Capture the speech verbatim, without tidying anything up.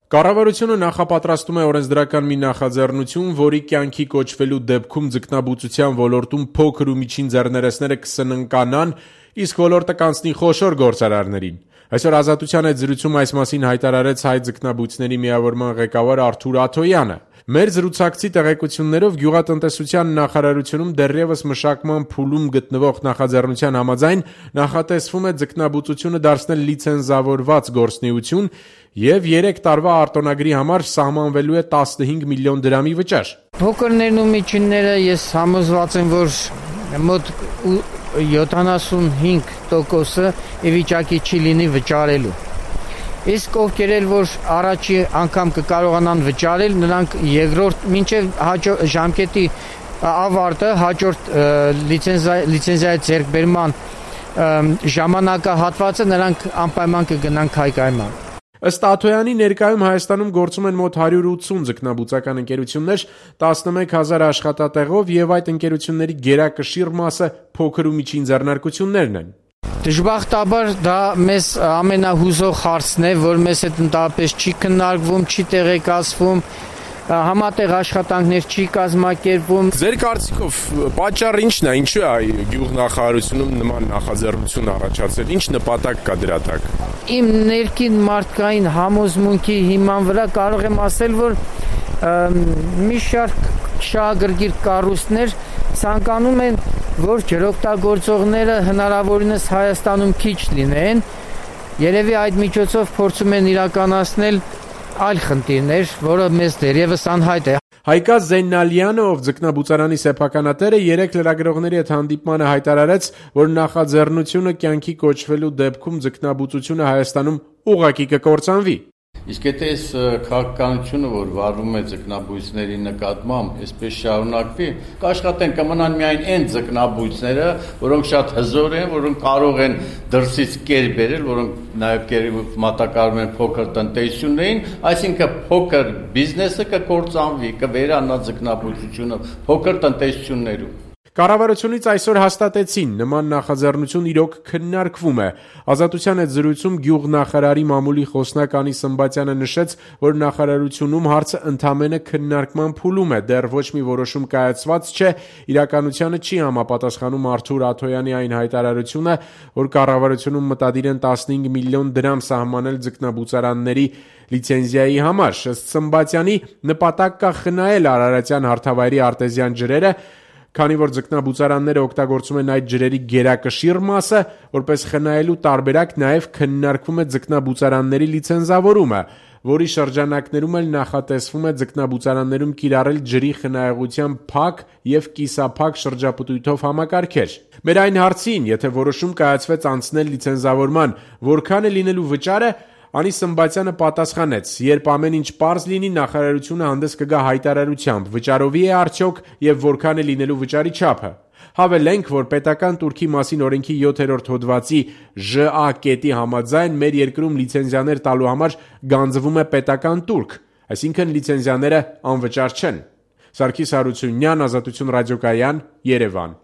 Կառավարությունը նախապատրաստում է օրենսդրական մի նախաձեռնություն, որի կյանքի կոչվելու դեպքում ձկնաբուծության ոլորտում փոքր ու միջին ձեռներեցները կսննկանան, իսկ ոլորտը կանցնի խոշոր գործարարներին։ Այսօր Ազատության հետ զրույցում այս մասին հայտարարեց հայ ձկնաբույծների միավորման ղեկավար Արթուր Աթոյանը։ Մեր զրուցակցի տեղեկություններով Գյուղատնտեսության նախարարությունում դեռևս մշակման փուլում գտնվող նախաձեռնության համաձայն նախատեսվում է ձկնաբուծությունը դարձնել լիցենզավորված գործունեություն եւ երեք տարվա արտոնագրի համար սահմանվելու է տասնհինգ միլիոն դրամի վճար։ Փոքրներն ու միջինները ես համոզված եմ, որ մոտ յոթանասունհինգ տոկոսը ի վիճակի չի լինի վճարելու։ Իսկ ովքեր էլ որ առաջի անգամ կկարողանան վճարել, նրանք երկրորդ մինչև ժամկետի ավարտը հաջորդ լիցենզիայի ձեռքբերման ժամանակահատվածը նրանք անպայման կգնան քայքայման։ Ըստ Աթոյանի, ներկայում Հայաստանում գործում են մոտ հարյուր ութսուն ձկնաբուծական ընկերություններ, տասնմեկ հազար աշխատատեղով եւ այդ ընկերությունների գերակշիռ մասը փոքր ու միջին ձեռնարկություններն են։ Դժբախտաբար դա մեզ ամենահուզող հարցն է, որ մեզ հետ ընդհանրապես չի քննարկվում, չի տեղեկացվում, համատեղ աշխատանքներ չի կազմակերպվում։ Ձեր կարծիքով պատճառը ի՞նչն է, ինչու է գյուղնախարարությունում նման նախաձեռնություն առաջացել, ինչ նպատակ կա դրա տակ։ Իմ ներքին մարդկային համոզմունքի հիման վրա կարող եմ ասել, որ մի շարք շահագրգիռ կառույցներ ցանկանում են, որ ջրօգտագործողները հնարավորինս Հայաստանում քիչ լինեն, երևի այդ միջոցով փորձում են իրականացնել այլ խնդիրներ, որը մեզ դեռևս անհայտ է։ Հայկազ Զեյնալյանը, ով ձկնաբուծարանի սեփականատեր է, երեք լրագրողների հետ հանդիպմանը հայտարարեց, որ նախաձեռնությունը կյանքի կոչվելու դեպքում ձկնաբուծությունը Հայաստանում ուղղակի կկործանվի։ Իսկ եթե այս քաղաքականությունը, որ վարվում է ձկնաբույծների նկատմամբ, այսպես շարունակվի, կաշխատեն կմնան միայն այն ձկնաբույծները, որոնք շատ հզոր են, որոնք կարող են դրսից կեր բերել, որոնք նաև մատակարարում են փոքր տնտեսություններին, այսինքն փոքր բիզնեսը կկործանվի, կվերանա ձկնաբույծությունը փոքր տնտեսություններում։ Կառավարությունից այսօր հաստատեցին, նման նախաձեռնություն իրոք քննարկվում է։ Ազատության հետ զրույցում գյուղնախարարի մամուլի խոսնակ Անի Սմբատյանը նշեց, որ նախարարությունում հարցը ընդամենը քննարկման փուլում է, դեռ ոչ մի որոշում կայացված չէ, իրականությանը չի համապատասխանում Արթուր Աթոյանի այն հայտարարությունը, որ կառավարությունում մտադիր են տասնհինգ միլիոն դրամ սահմանել ձկնաբուծարանների լիցենզիայի համար։ Ըստ Սմբատյանի, նպատակ կա խնայել Արարատյան հարթավայրի արտեզյան ջրերը, քանի որ ձկնաբուծարանները օգտագործում են այդ ջրերի գերակշիռ մասը, որպես խնայելու տարբերակ նաև քննարկվում է ձկնաբուծարանների լիցենզավորումը, որի շրջանակներում էլ նախատեսվում է ձկնաբուծարաններում կիրառել ջրի խնայողության փակ եւ կիսափակ շրջապտույտով համակարգեր։ Մեր այն հարցին, եթե որոշում կայացվեց անցնել լիցենզավորման, որքան է լինելու վճարը, Անի Սմբատյանը պատասխանեց. երբ ամեն ինչ պարզ լինի, նախարարությունը հանդես կգա հայտարարությամբ, վճարովի է արդյոք եւ որքան է լինելու վճարի չափը։ Հավելենք, որ պետական տուրքի մասին օրենքի յոթերորդ հոդվածի Ժ Ա կետի համաձայն մեր երկրում լիցենզիաներ տալու համար գանձվում է պետական տուրք, այսինքն լիցենզիաները անվճար չեն։ Սարգիս Հարությունյան, Ազատություն ռադիոկայան, Երևան։